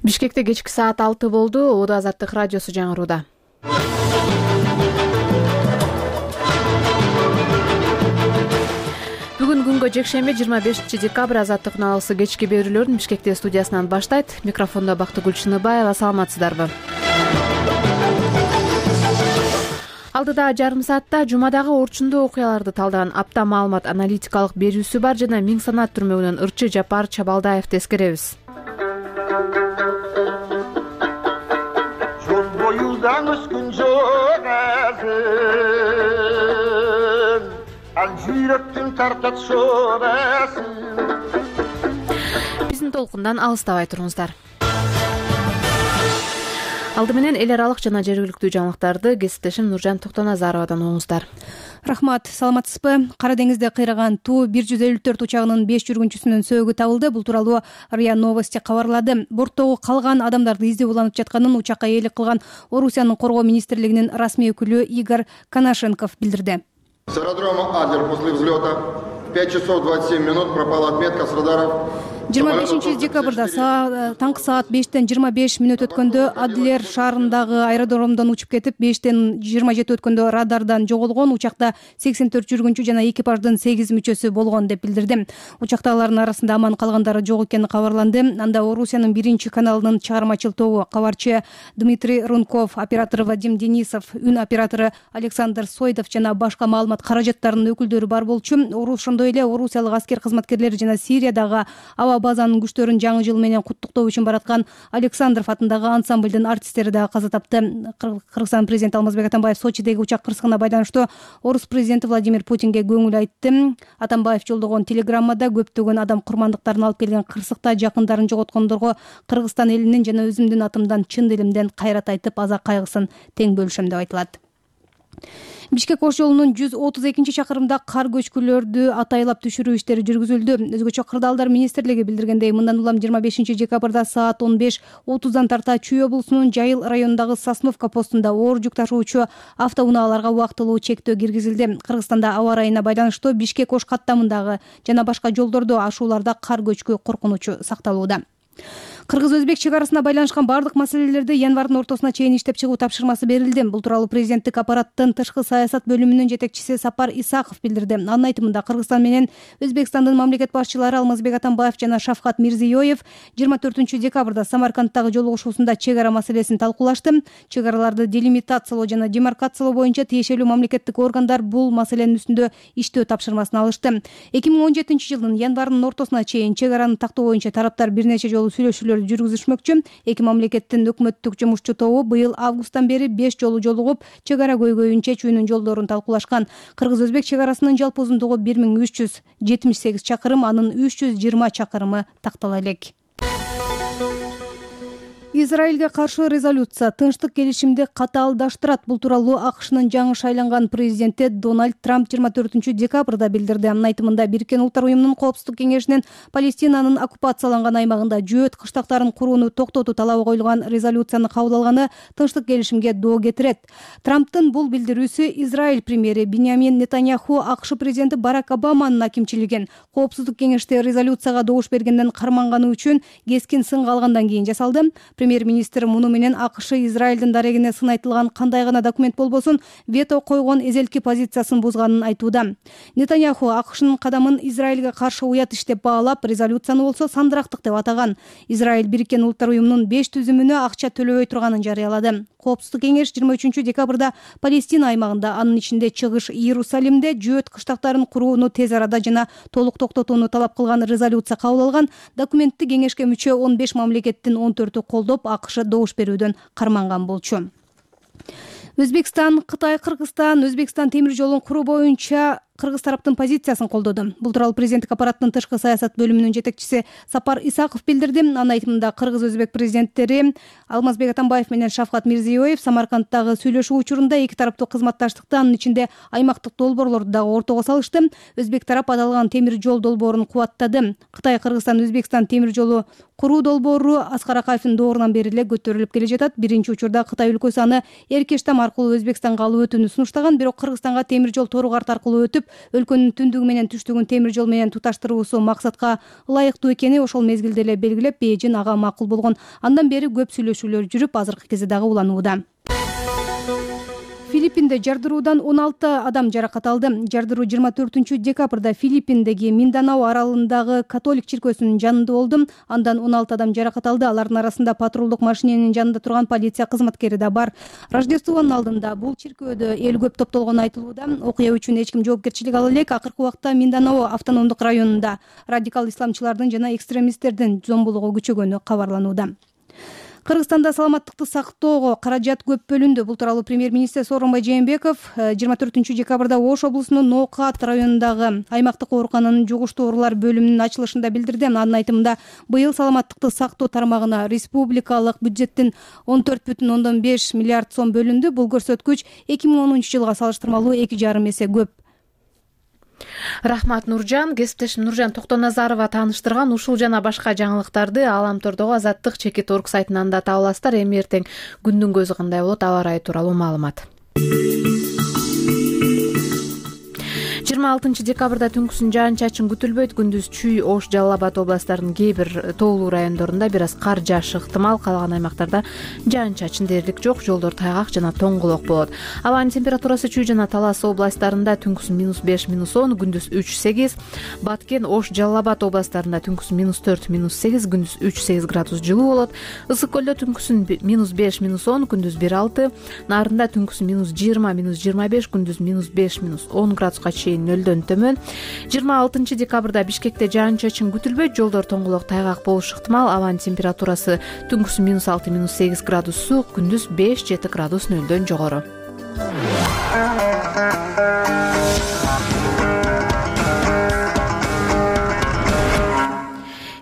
Бишкекте кечки саат 6 болду. Ода Азаттык радиосу жаңырууда. Бүгүн күнгө жекшемби 25 декабрь Азаттык налысы кечки берүүлөрүн Бишкекте студиясынан баштайт. Микрофондо Бактыгүл Чыныбаева. Саламатсыздарбы? Алдыда жарым саатта жумадагы орчундуу окуяларды талдаган апта маалымат аналитикалык берүүсү бар жана Миң санаат түрмөгүнөн Ырчы Жапар Чабалдаевди эскеребиз. Жол боюдан өскөн жок азын, ал жүрөктүн тартат шорасын. Биздин толкундан алыстабай туруңуздар. Алды менен эл аралык жана жергиликтүү жаңылыктарды кесиптешим Нуржан Токтоназаровадан угуңуздар. Рахмат, саламатсызбы? Кара деңизде кыйраган Ту-154 учагынын 5 жүргүнчүсүнүн сөөгү табылды. Бул тууралуу РИА Новости кабарлады. Борттогу калган адамдарды издөө уланып жатканын учакка ээлик кылган Орусиянын коргоо министрлигинин расмий өкүлү Игорь Коношенков билдирди. С аэродрома Адлер после взлета в 5 часов 27 минут пропала отметка с радаров. 25 декабрда таңкы саат 5-тен 25 мүнөт өткөндө Адлер шаарындагы аэродромдон учуп кетип, 5-тен 27 өткөндө радардан жоголгон. Учакта 84 жүргүнчү жана экипаждын 8 мүчөсү болгон деп билдирди. Учактагылардын арасында аман калгандары жок экени кабарланды. Анда Орусиянын 1 каналынын чыгармачыл тобу кабарчы Дмитрий Рунков, оператор Вадим Денисов, үн оператору Александр Сойдов жана башка маалымат каражаттарынын өкүлдөрү бар болчу. Ошондой эле орусиялык аскер кызматкерлери жана Сириядагы аба базанын күчтөрүн жаңы жыл менен куттуктоо үчүн бараткан Александров атындагы ансамблдын артисттери дагы каза тапты. Кыргызстан президенти Алмазбек Атамбаев Сочидеги учак кырсыгына байланыштуу орус президенти Владимир Путинге көңүл айтты. Атамбаев жолдогон телеграммада көптөгөн адам курмандыктарын алып келген кырсыкта жакындарын жоготкондорго Кыргызстан элинин жана өзүмдүн атымдан чын дилимден кайрат айтып, аза кайгысын тең бөлүшөм деп айтылат. Бишкек-Ош жолунун 132-чакырымда кар көчкүлөрдү атайлап түшүрүү иштери жүргүзүлдү. Өзгөчө Кырдаалдар министрлиги билдиргендей, мындан улам 25 декабрда саат 15:30 тарта Чүй облусунун Жайыл районундагы Сосновка постунда оор жүк ташуучу автоунааларга убактылуу чектөө киргизилди. Кыргызстанда аба ырайына байланыштуу Бишкек-Ош каттамындагы жана башка жолдордо ашууларда кар көчкү коркунучу сакталууда. Кыргыз-Өзбек чек арасына байланышкан бардык маселелерди январдын ортосуна чейин иштеп чыгуу тапшырмасы берилди. Бул тууралуу президенттик аппараттын тышкы саясат бөлүмүнүн жетекчиси Сапар Исаков билдирди. Анын айтымында, Кыргызстан менен Өзбекстандын мамлекет башчылары Алмазбек Атамбаев жана Шавкат Мирзиёев 24 декабрда Самаркандтагы жолугушуусунда чек ара маселесин талкуулашты. Чек араларды делимитациялоо жана демаркациялоо боюнча тиешелүү мамлекеттик органдар бул маселенин үстүндө иштөө тапшырмасын алышты. 2017 жылдын январынын ортосуна чейин чек араны тактоо боюнча тараптар бир нече жолу сүйлөшүүлөр жүргүзүшмөкчү. Эки мамлекеттин өкмөттүк жумушчу тобу быйыл августтан бери 5 жолу жолугуп, чек ара көйгөйүн чечүүнүн жолдорун талкуулашкан. Кыргыз-Өзбек чек арасынын жалпы узундугу 1378 чакырым, анын 320 чакырымы тактала элек. Израилге каршы резолюция тынчтык келишимди катаалдаштырат. Бул тууралуу АКШнын жаңы шайланган президенти Дональд Трамп 24 декабрда билдирди. Анын айтымында, Бириккен Улуттар уюмунун Коопсуздук кеңешинин Палестинанын оккупацияланган аймагында жөөт кыштактарын курууну токтотуу талабы коюлган резолюцияны кабыл алганы тынчтык келишимге доо кетирет. Трамптын бул билдирүүсү Израиль премьери Биньямин Нетаньяху АКШ президенти Барак Обаманын акимчилигин Коопсуздук кеңеште резолюцияга добуш бергенден карманганы үчүн кескин сынга алгандан кийин жасалды. Премьер-министр муну менен АКШ Израилдин дарегине сын айтылган кандай гана документ болбосун вето койгон эзелки позициясын бузганын айтууда. Нетаньяху АКШнын кадамын Израилге каршы уят иш деп баалап, резолюцияны болсо сандырактык деп атаган. Израиль Бириккен Улуттар уюмунун 5 түзүмүнө акча төлөбөй турганын жарыялады. Коопсуздук кеңеш 23 декабрда Палестина аймагында, анын ичинде Чыгыш Иерусалимде жөөт кыштактарын курууну тез арада жана толук токтотууну талап кылган резолюция кабыл алган. Документти кеңешке мүчө 15 мамлекеттин 14-ü колдоп, АКШ добуш берүүдөн карманган болчу. Өзбекстан, Кытай, Кыргызстан, Өзбекстан темир жолун куруу боюнча Кыргыз тараптын позициясын колдоду. Бул тууралуу президенттик аппараттын тышкы саясат бөлүмүнүн жетекчиси Сапар Исаков билдирди. Анын айтымында, Кыргыз-Өзбек президенттери Алмазбек Атамбаев менен Шавкат Мирзиёев Самаркандтагы сүйлөшүү учурунда эки тараптуу кызматташтыкты, анын ичинде аймактык долбоорлорду дагы ортого салышты. Өзбек тарап аталган темир жол долбоорун кубаттады. Кытай, Кыргызстан, Өзбекстан темир жолу куруу долбоору Аскар Акаевдин доорунан бери эле көтөрүлүп келе жатат. Биринчи учурда Кытай өлкөсү аны Эркештам аркылуу Өзбекстанга алып өтүүнү сунуштаган, бирок Кыргызстанга темир жол тору карт аркылуу өтүп, өлкөнүн түндүгү менен түштүгүн темир жол менен туташтыруусу максатка ылайыктуу экени ошол мезгилде эле белгилеп, Бейжин ага макул болгон. Андан бери көп сүйлөшүүлөр жүрүп, азыркы кезде дагы уланууда. Филиппинде жардыруудан 16 адам жаракат алды. Жардыруу 24-декабрда Филиппиндеги Минданао аралындагы католик чиркөөсүнүн жанында болду. Андан 16 адам жаракат алды. Алардын арасында патрулдук машиненин жанында турган полиция кызматкери да бар. Рождествонун алдында бул чиркөөдө эл көп топтолгону айтылууда. Окуя үчүн эч ким жоопкерчилик ала элек. Акыркы убакта Минданао автономдук районунда радикал исламчылардын жана экстремисттердин зомбулугу күчөгөнү кабарланууда. Кыргызстанда саламаттыкты сактоого каражат көп бөлүндү. Бул тууралуу премьер-министр Сооронбай Жээнбеков 24-декабрда Ош облусунун Ноокат районундагы аймактык оорукананын жугуштуу оорулар бөлүмүнүн ачылышында билдирди. Анын айтымында, быйыл саламаттыкты сактоо тармагына республикалык бюджеттин 14,5 миллиард сом бөлүндү. Бул көрсөткүч 2010-жылга салыштырмалуу 2,5 эсе көп. Рахмат, Нуржан. Кесиптешим Нуржан Токтоназарова тааныштырган ушул жана башка жаңылыктарды Аламтордогу Азаттык /Org сайтынан да таба аласыздар. Эми эртең күндүн көзү кандай болот, аба ырайы тууралуу маалымат. 26 декабрда түнкүсүн жаан-чачын күтүлбөйт. Күндүз Чүй, Ош, Жалал Абад областарынын кээ бир тоолуу райондорунда бир аз кар жаашы ыктымал. Калган аймактарда жаан-чачын дээрлик жок, жолдор тайгак жана тоңголок болот. Абанын температурасы Чүй жана Талас областарында түнкүсүн -5, -10, күндүз 3-8. Баткен, Ош, Жалал Абад областарында түнкүсүн -4, -8, күндүз 3-8 градус жылуу болот. Ысык көлдө түнкүсүн -5, -10, күндүз 1-6. Нарында түнкүсүн -20, -25, күндүз -5, -10 градуска чейин нөлдөн төмөн. 26 декабрда Бишкекте жаан-чачын күтүлбөйт, жолдор тоңголок тайгак болушу ыктымал. Абанын температурасы түнкүсүн -6, -8 градус суук, күндүз 5-7 градус нөлдөн жогору.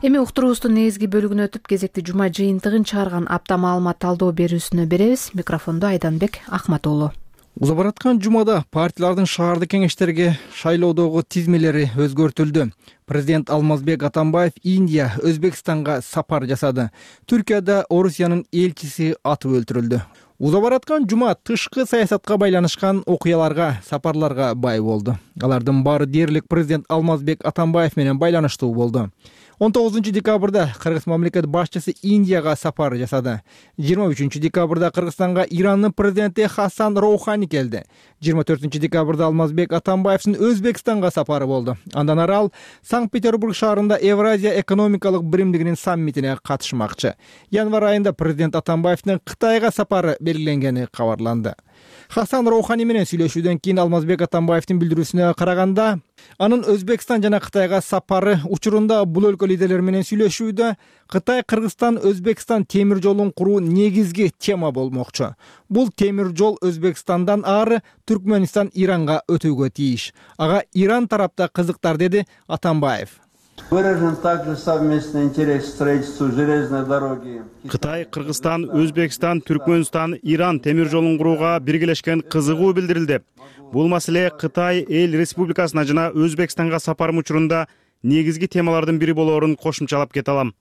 Эми уктуруубуздун негизги бөлүгүнө өтүп, кезекти жума жыйынтыгын чыгарган апта маалымат талдоо берүүсүнө беребиз. Микрофондо Айданбек Акматуулу. Уза бараткан жумада партиялардын шаардык кеңештерге шайлоодогу тизмелери өзгөртүлдү. Президент Алмазбек Атамбаев Индия, Өзбекстанга сапар жасады. Түркияда Орусиянын элчиси атып өлтүрүлдү. Уза бараткан жума тышкы саясатка байланышкан окуяларга, сапарларга бай болду. Алардын баары дээрлик президент Алмазбек Атамбаев менен байланыштуу болду. 19 декабрда Кыргыз мамлекет башчысы Индияга сапар жасады. 23 декабрда Кыргызстанга Ирандын президенти Хасан Роухани келди. 24 декабрда Алмазбек Атамбаевдин Өзбекстанга сапары болду. Андан ары ал Санкт-Петербург шаарында Евразия экономикалык биримдигинин саммитине катышмакчы. Январь айында президент Атамбаевдин Кытайга сапары белгиленгени кабарланды. Хасан Роухани менен сүйлөшүүдөн кийин Алмазбек Атамбаевдин билдирүүсүнө караганда, анын Өзбекстан жана Кытайга сапары учурунда бул өлкө лидерлери менен сүйлөшүүдө Кытай, Кыргызстан, Өзбекстан темир жолун куруу негизги тема болмокчу. Бул темир жол Өзбекстандан ары Түркмөнстан Иранга өтүүгө тийиш. Ага Иран тарапта кызыктар, деди Атамбаев. Выражен также совместный интерес к строительству железной дороги. Кытай, Кыргызстан, Өзбекстан, Түркмөнстан, Иран темир жолун курууга биргелешкен кызыгуу билдирилди. Бул маселе Кытай эл республикасына жана Өзбекстанга сапарым учурунда негизги темалардын бири болоорун кошумчалап кете алам.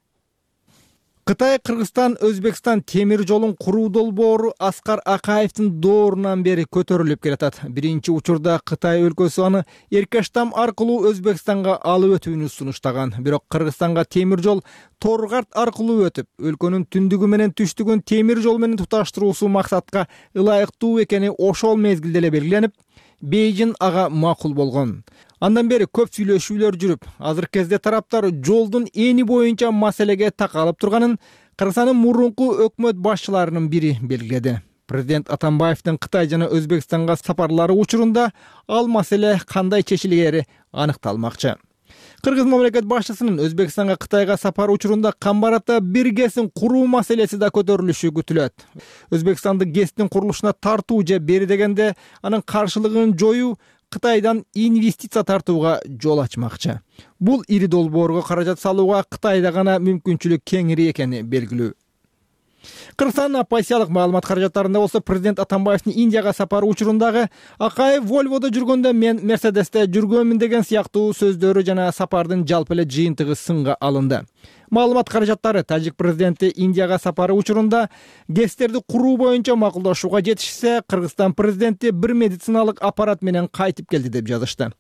Кытай, Кыргызстан, Өзбекстан темир жолун куруу долбоору Аскар Акаевдин доорунан бери көтөрүлүп келатат. Биринчи учурда Кытай өлкөсү аны Эркаштам аркылуу Өзбекстанга алып өтүүнү сунуштаган. Бирок Кыргызстанга темир жол Торгарт аркылуу өтүп, өлкөнүн түндүгү менен түштүгүн темир жол менен туташтыруусу максатка ылайыктуу экени ошол мезгилде эле белгиленип, Бейжин ага макул болгон. Андан бери көп сүйлөшүүлөр жүрүп, азыркы кезде тараптар жолдун эни боюнча маселеге такалып турганын Кыргызстандын мурунку өкмөт башчыларынын бири белгиледи. Президент Атамбаевдин Кытай жана Өзбекстанга сапарлары учурунда ал маселе кандай чечилери аныкталмакчы. Кыргыз мамлекет башчысынын Өзбекстанга, Кытайга сапары учурунда Камбарата бир ГЭСин куруу маселеси да көтөрүлүшү күтүлөт. Өзбекстанды ГЭСтин курулушуна тартуу же бери дегенде анын каршылыгын жоюу Кытайдан инвестиция тартууга жол ачмакчы. Бул ири долбоорго каражат салууга Кытайда гана мүмкүнчүлүк кеңири экени белгилүү. Кыргызстандын оппозициялык маалымат каражаттарында болсо президент Атамбаевдин Индияга сапары учурундагы Акаев Вольводо жүргөндө мен Мерседесте жүргөнмүн деген сыяктуу сөздөрү жана сапардын жалпы эле жыйынтыгы сынга алынды. Маалымат каражаттары тажик президенти Индияга сапары учурунда ГЭСтерди куруу боюнча макулдашууга жетишсе, Кыргызстан президенти бир медициналык аппарат менен кайтып келди деп жазышты.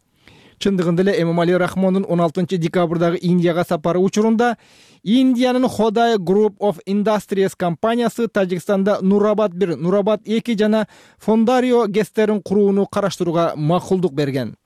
Чындыгында эле Эмомали Рахмондун 16-декабрдагы Индияга сапары учурунда Индиянын Hodai Group of Industries компаниясы Тажикстанда Нурабад 1, Нурабад 2 жана Фондарио ГЭСтерин курууну караштырууга макулдук берген.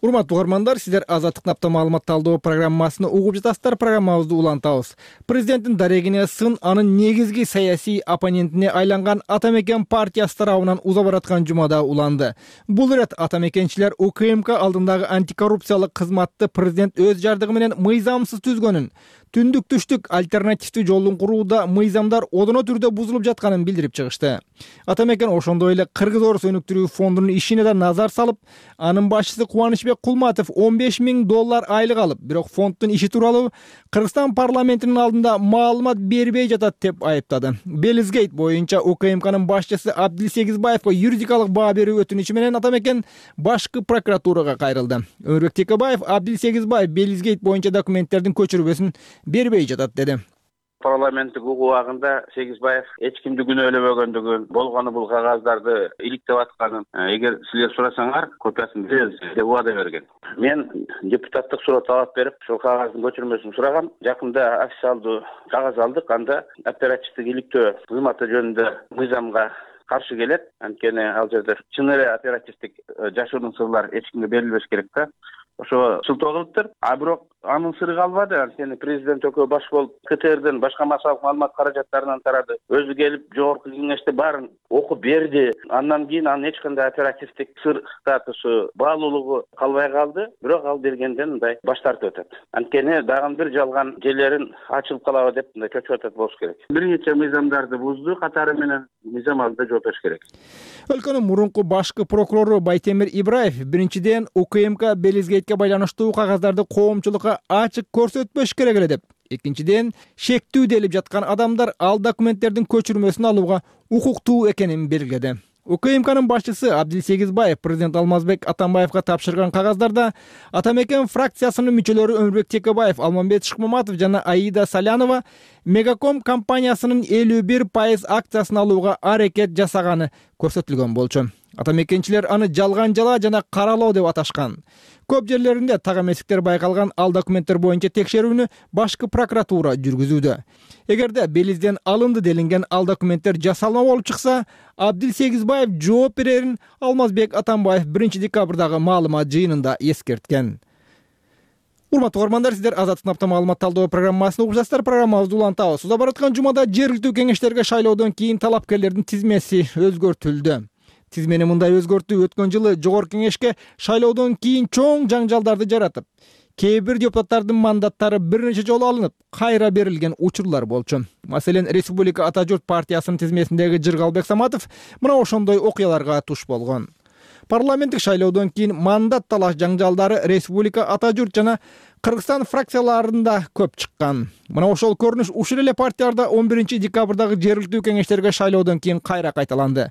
Урматтуу угармандар, сиздер Азаттык напта маалымат талдоо программасыны угуп жатасыздар. Программабызды улантабыз. Президенттин дарегине сын анын негизги саясий оппонентине айланган Ата Мекен партиясы тарабынан уза бараткан жумада уланды. Бул ирет Ата Мекенчилер УКМК алдындагы антикоррупциялык кызматты президент өз жардыгы менен мыйзамсыз түзгөнүн, түндүк түштүк альтернативдүү жолун курууда мыйзамдар одоно түрдө бузулуп жатканын билдирип чыгышты. Ата Мекен ошондой эле Кыргыз Орус өнүктүрүү фондунун ишине да назар салып, анын башчысы Кубанычбек Кулматов $15,000 айлык алып, бирок фонддун иши тууралуу Кыргызстан парламентинин алдында маалымат бербей жатат деп айыптады. Белизгейт боюнча УКМКнын башчысы Абдил Сегизбаевга юридикалык баа берүү өтүнүчү менен Ата Мекен башкы прокуратурага кайрылды. Өмүрбек Текебаев Абдил Сегизбаев Белизгейт боюнча документтердин көчүрмөсүн бербей жатат деди. Парламенттик укук убагында Сегизбаев эч кимди күнөөлөбөгөндүгүн, болгону бул кагаздарды иликтеп атканын, эгер силер сурасаңар, копиясын беребиз деп убада берген. Мен депутаттык суроо талап берип, ошол кагаздын көчүрмөсүн сурагам. Жакында официалдуу кагаз алдык. Анда оперативдик иликтөө кызматы жөнүндө мыйзамга каршы келет. Анткени ал жерде чын эле оперативдик жашыруун сырлар эч кимге берилбеш керек да. Ошо сылтоо кылыптыр. А бирок анын сыры калбады. Анткени президент экөө баш болуп КТРден башка массалык маалымат каражаттарынан тарады. Өзү келип жогорку кеңеште баарын окуп берди. Андан кийин анын эч кандай оперативдик сыр статусу, баалуулугу калбай калды. Бирок ал бергенден мындай баш тартып атат. Анткени дагы бир жалган жерлерин ачылып калабы деп мындай чөчүп атат болуш керек. Бир нече мыйзамдарды бузду катары менен, мыйзам алдында жооп бериш керек. Өлкөнүн мурунку башкы прокурору Байтемир Ибраев биринчиден УКМК Белизгейтке байланыштуу кагаздарды коомчулукка ачык көрсөтпөш керек эле деп, экинчиден шектүү делип жаткан адамдар ал документтердин көчүрмөсүн алууга укуктуу экенин белгиледи. УКМКнын башчысы Абдил Сегизбаев президент Алмазбек Атамбаевга тапшырган кагаздарда Ата Мекен фракциясынын мүчөлөрү Өмүрбек Текебаев, Алмамбет Шыкмаматов жана Аида Салянова Мегаком компаниясынын 51% акциясын алууга аракет жасаганы көрсөтүлгөн болчу. Ата Мекенчилер аны жалган жала жана каралоо деп аташкан. Көп жерлеринде так эместиктер байкалган ал документтер боюнча текшерүүнү башкы прокуратура жүргүзүүдө. Эгерде Белизден алынды делинген ал документтер жасалма болуп чыкса, Абдил Сегизбаев жооп берерин Алмазбек Атамбаев 1-декабрдагы маалымат жыйынында эскерткен. Урматтуу угармандар, сиздер Азаттык напта маалымат талдоо программасын угуп жатасыздар. Программабызды улантабыз. Уза бараткан жумада жергиликтүү кеңештерге шайлоодон кийин талапкерлердин тизмеси өзгөртүлдү. Тизмени мындай өзгөртүү өткөн жылы жогорку кеңешке шайлоодон кийин чоң жаңжалдарды жаратып, кээ бир депутаттардын мандаттары бир нече жолу алынып, кайра берилген учурлар болчу. Маселен, Республика Ата Журт партиясынын тизмесиндеги Жыргалбек Саматов мына ошондой окуяларга туш болгон. Парламенттик шайлоодон кийин мандат талаш жаңжалдары Республика Ата Журт жана Кыргызстан фракцияларында көп чыккан. Мына ошол көрүнүш ушул эле партияларда 11-декабрдагы жергиликтүү кеңештерге шайлоодон кийин кайра кайталанды.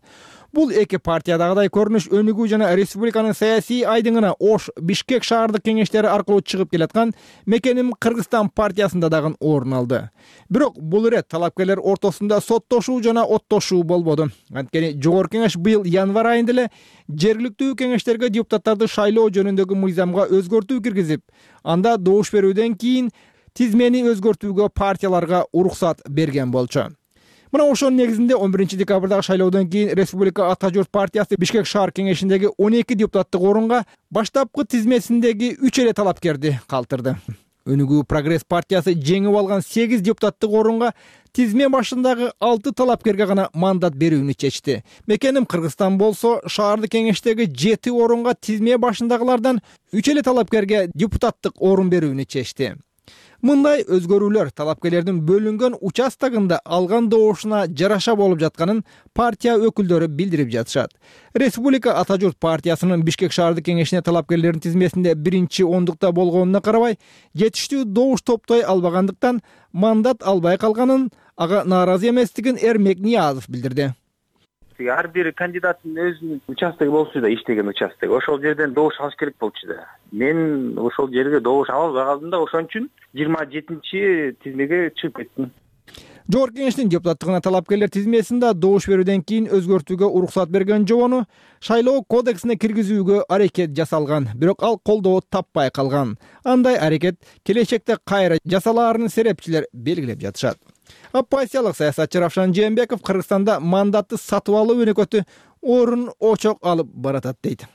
Бул эки партиядагыдай көрүнүш өнүгүү жана республиканын саясий айдыңына Ош, Бишкек шаардык кеңештери аркылуу чыгып келаткан Мекеним Кыргызстан партиясында дагы орун алды. Бирок бул ирет талапкерлер ортосунда соттошуу жана оттошуу болбоду. Анткени жогорку кеңеш быйыл январь айында эле жергиликтүү кеңештерге депутаттарды шайлоо жөнүндөгү мыйзамга өзгөртүү киргизип, анда добуш берүүдөн кийин тизмени өзгөртүүгө партияларга уруксат берген болчу. Мына ошонун негизинде 11-декабрдагы шайлоодон кийин Республика Ата Журт партиясы Бишкек шаар кеңешиндеги 12 депутаттык орунга баштапкы тизмесиндеги 3 эле талапкерди калтырды. Өнүгүү Прогресс партиясы жеңип алган 8 депутаттык орунга тизме башындагы 6 талапкерге гана мандат берүүнү чечти. Мекеним Кыргызстан болсо шаардык кеңештеги 7 орунга тизме башындагылардан 3 эле талапкерге депутаттык орун берүүнү чечти. Мындай өзгөрүүлөр талапкерлердин бөлүнгөн участогунда алган добушуна жараша болуп жатканын партия өкүлдөрү билдирип жатышат. Республика Ата Журт партиясынын Бишкек шаардык кеңешине талапкерлердин тизмесинде 1-ондукта болгонуна карабай, жетиштүү добуш топтой албагандыктан мандат албай калганын, ага нааразы эместигин Эрмек Ниязов билдирди. Ар бир кандидаттын өзүнүн участогу болчу да, иштеген участок. Ошол жерден добуш алыш керек болчу да. Мен ошол жерге добуш ала албай калдым да, ошон үчүн 27-тизмеге чыгып кеттим. Жогорку Кеңештин депутаттыгына талапкерлер тизмесинде добуш берүүдөн кийин өзгөртүүгө уруксат берген жобону шайлоо кодексине киргизүүгө аракет жасалган, бирок ал колдоо таппай калган. Андай аракет келечекте кайра жасалаарын серепчилер белгилеп жатышат. Оппозициялык саясатчы Равшан Жээнбеков Кыргызстанда мандатты сатып алуу өнөкөтү орун очок алып баратат дейт.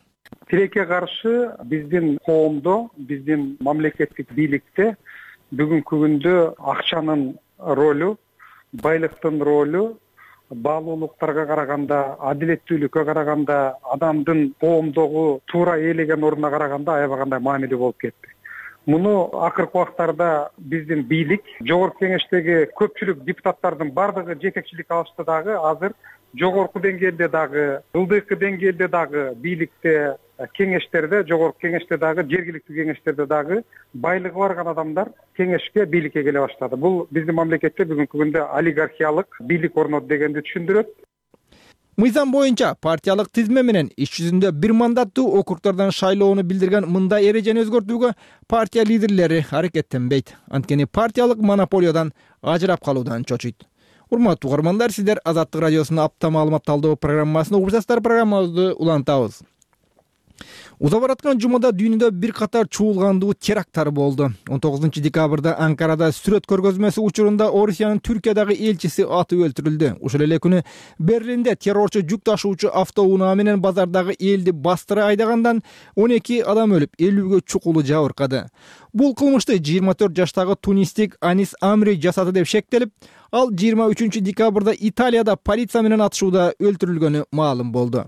Тилекке каршы биздин коомдо, биздин мамлекеттик бийликте бүгүнкү күндө акчанын ролу, байлыктын ролу баалуулуктарга караганда, адилеттүүлүккө караганда, адамдын коомдогу туура ээлеген ордуна караганда аябагандай маанилүү болуп кетти. Муну акыркы убактарда биздин бийлик, Жогорку Кеңештеги көпчүлүк депутаттардын бардыгы жетекчилик алышты дагы, азыр жогорку деңгээлде дагы, ылдыйкы деңгээлде дагы бийликте, кеңештерде, Жогорку Кеңеште дагы, жергиликтүү кеңештерде дагы байлыгы барган адамдар кеңешке, бийликке келе баштады. Бул биздин мамлекетте бүгүнкү күндө олигархиялык бийлик орноду дегенди түшүндүрөт. Мыйзам боюнча партиялык тизме менен иш жүзүндө бир мандаттуу округдардан шайлоону билдирген мындай эрежени өзгөртүүгө партия лидерлери аракеттенбейт. Анткени партиялык монополиядан ажырап калуудан чочуйт. Урматтуу угармандар, сиздер Азаттык радиосунун апта маалымат талдоо программасын угуп жатасыздар. Программабызды улантабыз. Узап бараткан жумада дүйнөдө бир катар чуулгандуу теракттар болду. 19-декабрда Анкарада сүрөт көргөзмөсү учурунда Орусиянын Түркиядагы элчиси атып өлтүрүлдү. Ошол эле күнү Берлинде террорчу жүк ташуучу автоунаа менен базардагы элди бастыра айдагандан 12 адам өлүп, 50ге чукулу жабыркады. Бул кылмышты 24 жаштагы тунистик Анис Амри жасады деп шектелип, ал 23-декабрда Италияда полиция менен атышууда өлтүрүлгөнү маалым болду.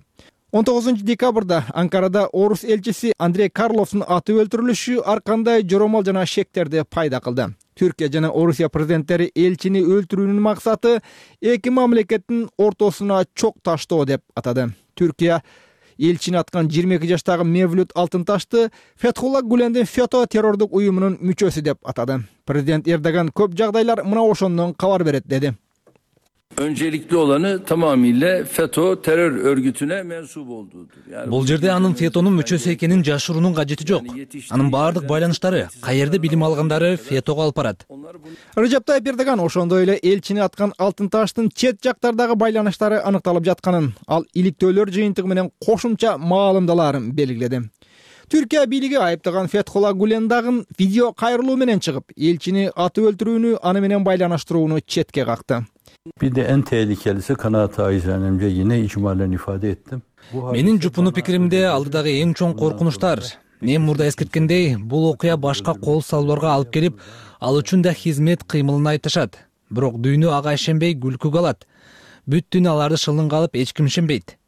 19-декабрда Анкарада орус элчиси Андрей Карловдун атып өлтүрүлүшү ар кандай жоромал жана шектерди пайда кылды. Түркия жана Орусия президенттери элчини өлтүрүүнүн максаты эки мамлекеттин ортосуна чок таштоо деп атады. Түркия элчини аткан 22 жаштагы Мевлют Алтынташты Фетхулла Гулендин ФЕТО террордук уюмунун мүчөсү деп атады. Президент Эрдоган көп жагдайлар мына ошондон кабар берет деди. Öncelikli olanı tamamıyla FETÖ terör örgütüne mensup olduğudur. Бул жерде анын ФЕТОнун мүчөсү экенин жашыруунун кажети жок. Анын баардык байланыштары, каерде билим алгандары ФЕТОго алып барат. Режеп Тайип Эрдоган ошондой эле элчини аткан Алтынташтын чет жактардагы байланыштары аныкталып жатканын, ал иликтөөлөр жыйынтыгы менен кошумча маалымдаларын белгиледи. Түркия бийлиги айыптаган Фетхулла Гулендагын видео кайрылуу менен чыгып, элчини атып өлтүрүүнү аны менен байланыштырууну четке какты. Bir de en tehlikelisi kanaat acizenemce yine icmalen ifade ettim. Менин жупуну пикиримде алдыдагы эң чоң коркунучтар. Мен мурда эскерткендей, бул окуя башка кол салууларга алып келип, ал үчүн да хизмет кыймылын айтышат. Бирок дүйнө ага ишенбей күлкүгө алат. Бүт дүйнө аларды шылынга алып, эч ким ишенбейт.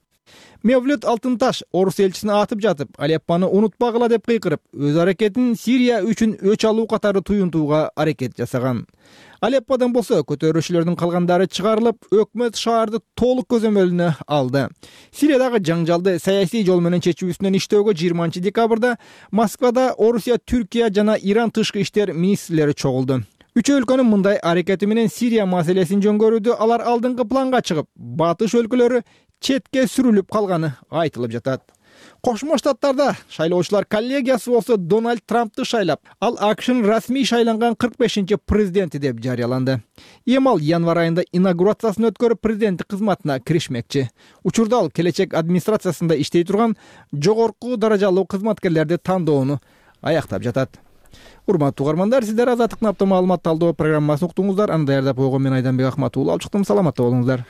Мевлют Алтынташ орус элчисин атып жатып, Алеппаны унутпагыла деп кыйкырып, өз аракетин Сирия үчүн өч алуу катары туюнтууга аракет жасаган. Алеппадан болсо көтөрүүчүлөрдүн калгандары чыгарылып, өкмөт шаарды толук көзөмөлүнө алды. Сириядагы жаңжалды саясий жол менен чечүү үстүнөн иштөөгө 20-декабрда Москвада Орусия, Түркия жана Иран тышкы иштер министрлери чогулду. Үч өлкөнүн мындай аракети менен Сирия маселесин жөнгөрүүдө алар алдыңкы планга чыгып, батыш өлкөлөрү четке сүрүлүп калганы айтылып жатат. Кошмо Штаттарда шайлоочулар коллегиясы болсо Дональд Трампты шайлап, ал АКШнын расмий шайланган 45-чи президенти деп жарыяланды. Эми ал январь айында инаугурациясын өткөрүп президенттик кызматына киришмекчи. Учурда ал келечек администрациясында иштей турган жогорку даражалуу кызматкерлерди тандоону аяктап жатат. Урматтуу угармандар, сиздер Азаттыктын апта маалымат талдоо программасын уктуңуздар. Аны даярдап койгон мен Айданбек Акматуулу алып чыктым. Саламатта болуңуздар.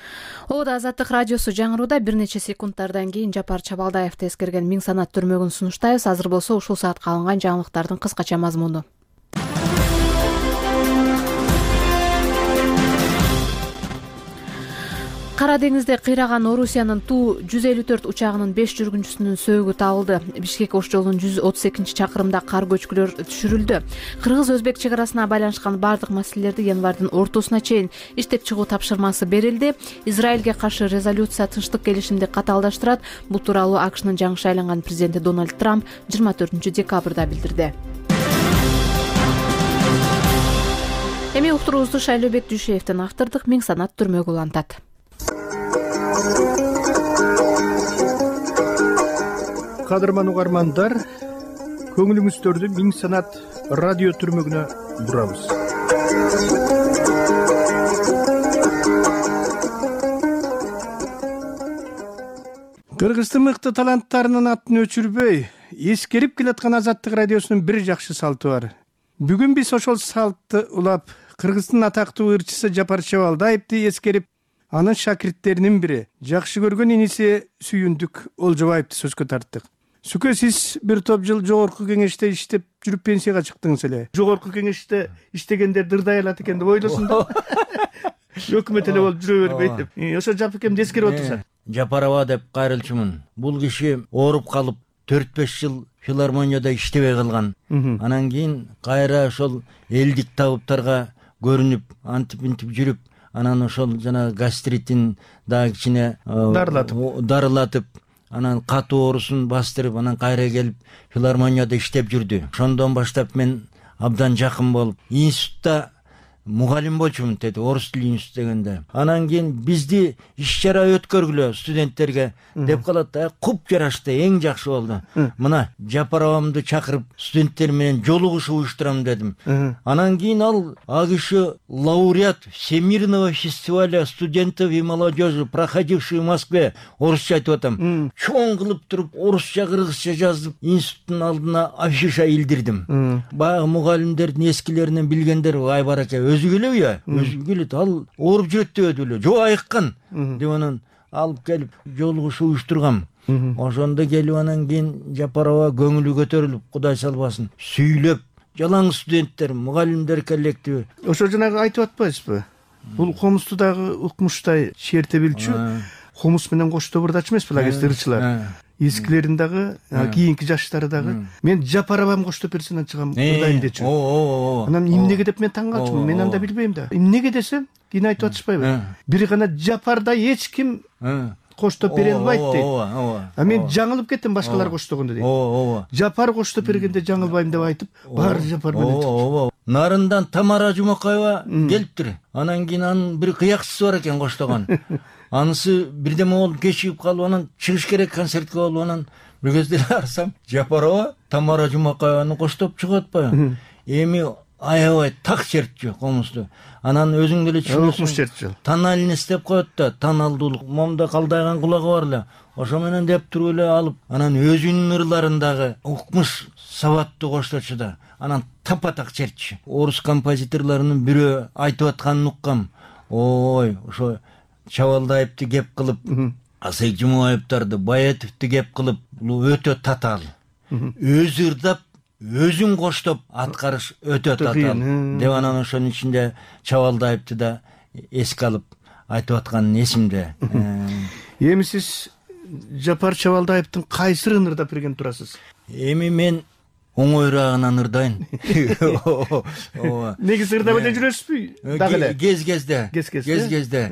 Ода Азаттык радиосу жаңырууда бир нече секундтардан кийин Жапар Чабалдаевди эскерген Миң санат түрмөгүн сунуштайбыз. Азыр болсо ушул саатка алынган жаңылыктардын кыскача мазмуну. Кара деңизде кыйраган Орусиянын Ту-154 учагынын 5 жүргүнчүсүнүн сөөгү табылды. Бишкек Ош жолунун 132 чакырымда кар көчкүлөр түшүрүлдү. Кыргыз-Өзбек чек арасына байланышкан бардык маселелерди январдын ортосуна чейин иштеп чыгуу тапшырмасы берилди. Израилге каршы резолюция тынчтык келишимди катаалдаштырат. Бул тууралуу АКШнын жаңы шайланган президенти Дональд Трамп 24-декабрда билдирди. Эми уктуруубузду Шайлообек Дүйшеевдин автордук Миң санат түрмөгү улантат. Кадырман угармандар, көңүлүңүздөрдү Миң санат радио түрмөгүнө бурабыз. Кыргыздын мыкты таланттарынын атын өчүрбөй эскерип келаткан Азаттык радиосунун бир жакшы салты бар. Бүгүн биз ошол салтты улап Кыргыздын атактуу ырчысы Жапар Чабалдаевди эскерип, анын шакирттеринин бири, жакшы көргөн иниси Сүйүндүк Олжобаевди сөзгө тарттык. Сүкө, сиз бир топ жыл жогорку кеңеште иштеп жүрүп пенсияга чыктыңыз эле. Жогорку кеңеште иштегендер дырдай алат экен деп ойлосун да. Өкмөт эле болуп жүрө бербейт деп. Ошо Жапекемди эскерип отурса. Жапарова деп кайрылчумун. Бул киши ооруп калып 4-5 жыл филармонияда иштебей калган. Анан кийин кайра ошол элдик табыптарга көрүнүп, антип жүрүп, анан ошол жана гастритин дагы кичине дарылатып, анан катуу оорусун бастырып, анан кайра келип филармонияда иштеп жүрдү. Ошондон баштап мен абдан жакын болуп, институтта мугалим болчумун деди, орус тили институт дегенде. Анан кийин бизди иш-чара өткөргүлө студенттерге деп калат. Куп жарашты, эң жакшы болду. Мына Жапаровамды чакырып студенттер менен жолугушуу уюштурам дедим. Анан кийин ал киши лауреат Всемирного фестиваля студентов и молодежи, проходивший в Москве, орусча айтып атам. Чоң кылып туруп, орусча, кыргызча жазып, институттун алдына афиша илдирдим. Баягы мугалимдердин эскилеринен билгендер, ай бараке, өзү келеби, өзү келет, ал ооруп жүрөт деп эле, жок айыккан деп анан алып келип жолугушуу уюштургам. Ошондо келип анан кийин Жапарова көңүлү көтөрүлүп, Кудай салбасын, сүйлөп, жалаң студенттер, мугалимдер коллективи. Ошо жанагы айтып атпайсызбы? Бул комузду дагы укмуштай черте билчү, комуз менен коштобурдачу эмес беле ырчылар. Эскилерин дагы, кийинки жаштары дагы. Мен Жапаровам коштоп берсен чыгам, кырдайм дечү. Анан эмнеге деп мен таң калчумун, мен анда билбейм да. Эмнеге десем, кийин айтып атышпайбы? Бир гана Жапарда эч ким коштоп бере албайт дейт. Мен жаңылып кеттим башкалар коштогондо дейт. Жапар коштоп бергенде жаңылбайм деп айтып, баары Жапар менен чыкты. Нарындан Тамара Жумакаева келиптир. Анан кийин анын бир кыякчысы бар экен коштогон. Анысы бирдеме болуп кечигип калып, анан чыгыш керек концертке болуп, анан бир кезде карасам, Жапарова Тамара Жумакаеваны коштоп чыгып атпайбы? Эми аябай так чертчү комузду. Анан өзүң деле түшүнөсүң. Тональность деп коет да, тоналдуулук. Момда калдайган кулагы бар эле. Ошо менен деп туруп эле алып, анан өзүнүн ырларындагы укмуш сабаттуу кошточу да. Анан тапа-так чертчү. Орус композиторлорунун бирөө айтып атканын уккам. Ой, ошо Чабалдаевди кеп кылып, Асек Жумаевдарды, Баетовди кеп кылып, бул өтө татаал. Өзү ырдап, өзүн коштоп аткарыш өтө татаал. Деп анан ошонун ичинде Чабалдаевди да эске алып айтып атканын эсимде. Эми сиз Жапар Чабалдаевдин кайсырын ырдап берген турасыз? Эми мен оңойраагынан ырдайын. Негизи ырдап эле жүрөсүзбү? Дагы эле. Кез-кезде.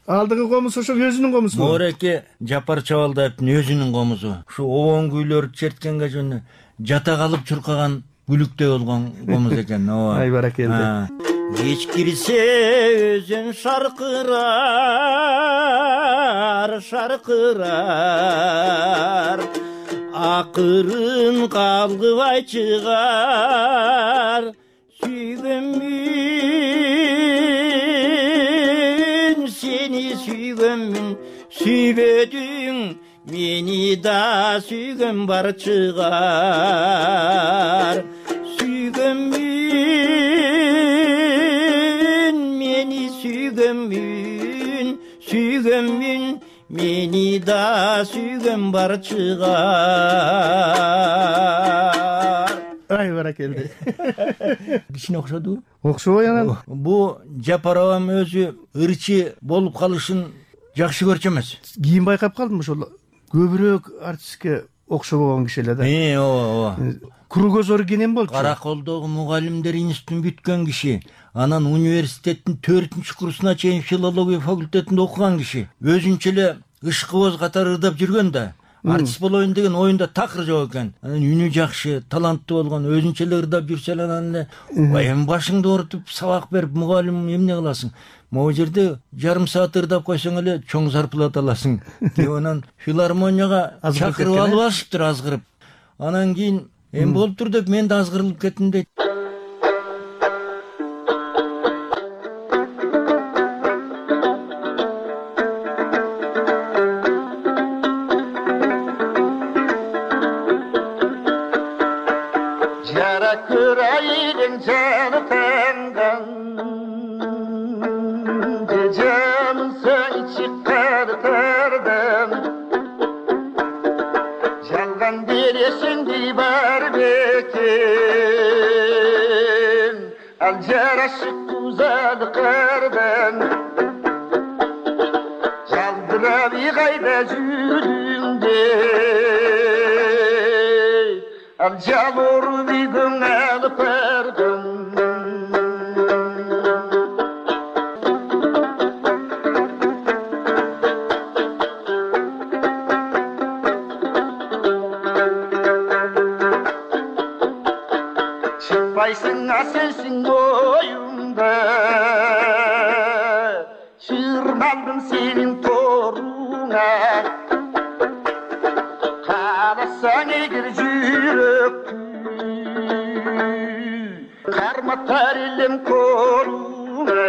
Алдыгы комуз ошо өзүнүн комузу. Мореке Жапар Чабалдаевдин өзүнүн комузу. Ушу обон күйлөрдү черткенге жөн жата калып чуркаган бүлүктөй болгон комуз экен. Ай баракелди. Кеч кирсе өзүн шаркырар, акырын калгыбай чыгар. Сүйгөнмүн, сени сүйгөнмүн, сүйбөдүң мени да, сүйгөн бар чыгар. Сүйгөнмүн, мени сүйгөнмүн, сүйгөнмүн мени да, сүйгөн бар чыгар. Ай баракелди. Кичине окшоду? Окшобой анан. Бу Жапаровам өзү ырчы болуп калышын жакшы көрчү эмес. Кийин байкап калдым ошол көбүрөөк артистке окшобогон киши эле да. Ооба. Кругозор кенен болчу. Караколдогу мугалимдер институтун бүткөн киши. Анан университеттин 4-курсуна чейин филология факультетинде окуган киши. Өзүнчө эле ышкыбоз катары ырдап жүргөн да. Артист болоюн деген оюнда такыр жок экен. Анан үнү жакшы, таланттуу болгон, өзүнчө эле ырдап жүрсө эле анан эле эми башыңды оорутуп сабак берип мугалим эмне кыласың? Могу жерде жарым саат ырдап койсоң эле чоң зарплата аласың. Деп анан филармонияга чакырып алышыптыр азгырып. Анан кийин эми болуптур деп мен да азгырылып кеттим дейт. canı tangan Gecemın seni çıkartardım Жалған бересің дей бар бекен Ал жарашып тузады қардан Жалдырап қайда жүріңде Ал жал ұрып үйдің алып бардым Çıkmaysın sensin oyunda Çırmandım senin toruna Karasan eğer jüröktü Karmatar elim koruna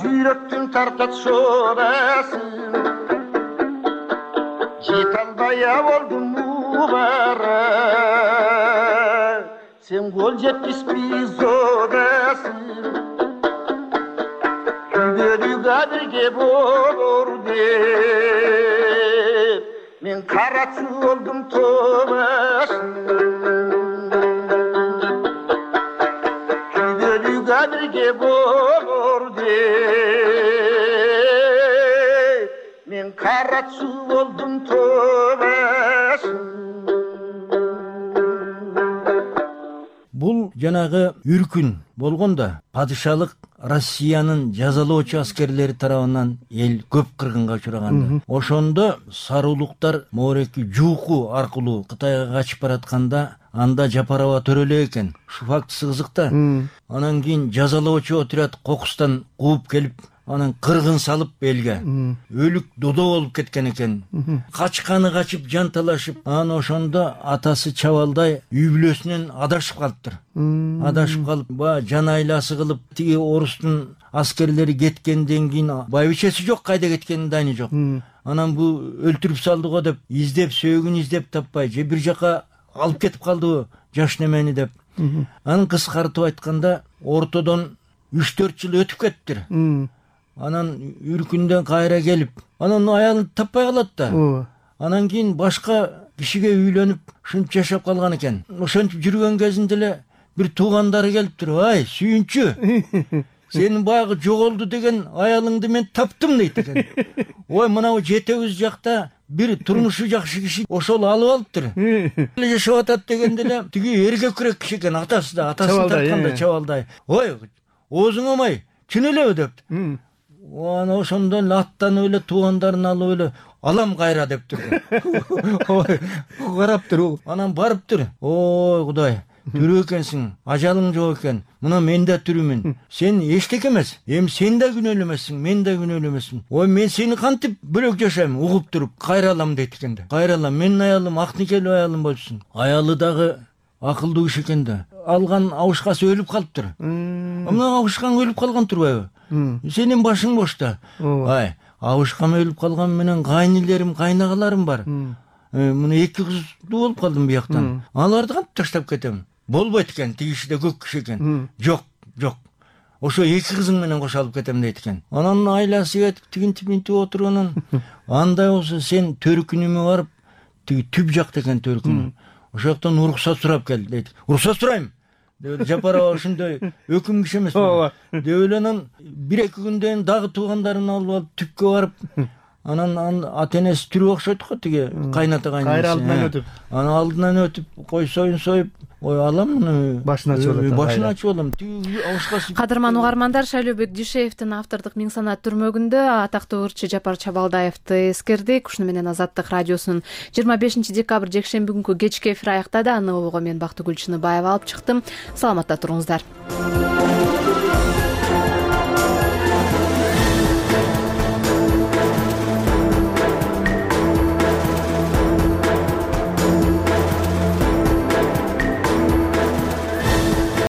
Жүректің тартат шорасын Жет албая болдым мубара Сен қол жеткізбей зодасың Күгелуға бірге болор деп Мен қаратшы болдым тобасын Күгелуға бірге болор Мен қаратшы болдым тобасын Бул жанагы үркүн болгондо падышалык Россиянын жазалоочу аскерлери тарабынан эл көп кыргынга учураганда ошондо сарылуктар моореки жууку аркылуу Кытайга качып баратканда анда Жапарова төрөлө экен. Ушул фактысы кызык да. Анан кийин жазалоочу отряд кокустан кууп келип, анан кыргын салып элге. Өлүк додо болуп кеткен экен. Качканы качып, жанталашып, анан ошондо атасы Чабалдай үй бүлөсүнөн адашып калыптыр. Адашып калып, жан айласы кылып, тиги орустун аскерлери кеткенден кийин байбичеси жок, кайда кеткенин дайны жок. Анан бу өлтүрүп салды го деп, издеп, сөөгүн издеп таппай, же бир жака алып кетип калдыбы жаш немени деп. Анан кыскартып айтканда ортодон 3-4 жыл өтүп кеттир. Анан үркүндөн кайра келип, анан аялын таппай калат да. Анан кийин башка кишиге үйлөнүп, ушинтип жашап калган экен. Ошентип жүргөн кезинде эле бир туугандары келиптир. Ай, сүйүнчү, сенин баягы жоголду деген аялыңды мен таптым дейт экен. Ой, мынау жетебиз жакта бир турмушу жакшы киши ошол алып алыптыр. Жашап атат дегенде эле тиги эркекирээк киши экен, атасы да, атасын тартканда Чабалдай. Ой, оозуң омай, чын элеби депти. Анан ошондон эле аттанып эле туугандарын алып эле алам кайра дептир. Ой, караптыр. Анан барыптыр. Ой, Кудай, тирүү экенсиң, ажалың жок экен. Мына мен да тирүүмүн. Сен эчтеке эмес. Эми сен да күнөөлүү эмессиң, мен да күнөөлүү эмесмин. Ой, мен сени кантип бөлөк жашайм, угуп туруп, кайра алам дейт экен да. Кайра алам, менин аялым ак никелүү аялым болсун. Аялы дагы акылдуу киши экен да. Алган абышкасы өлүп калыптыр. Мына абышкаң өлүп калган турбайбы? Сенин башың бош да. Ай, абышкам өлүп калган менен кайнилерим, кайнагаларым бар. Мына 2 кыздуу болуп калдым бияктан. Аларды кантип таштап кетем? Болбойт экен, тиги киши да көк киши экен. Жок, жок. Ошо 2 кызың менен кошо алып кетем дейт экен. Анан айласы кетип, тигинтип отурганын. Андай болсо сен төркүнүмө барып, тиги түп жакта экен төркүнү. Ошол жактан уруксат сурап кел дейт. Уруксат сурайм. Жапарова ошондой өкүм киши эмес. Деп эле анан 1-2 күндөн дагы туугандарын алып түпкө барып, анан ата-энеси тирүү окшойт го, тиги кайната кайнысы. Кайра алдынан өтүп. Анан алдынан өтүп, кой союн союп, ой алам муну башын ачып алат. Башын ачып алам. Кадырман угармандар, Шайлообек Дүйшеевдин автордук Миң санат түрмөгүндө атактуу ырчы Жапар Чабалдаевди эскердик. Ушуну менен Азаттык радиосунун 25 декабрь жекшемби күнкү кечки эфир аяктады. Аны обого мен Бактыгүл Чыныбаева алып чыктым. Саламатта туруңуздар.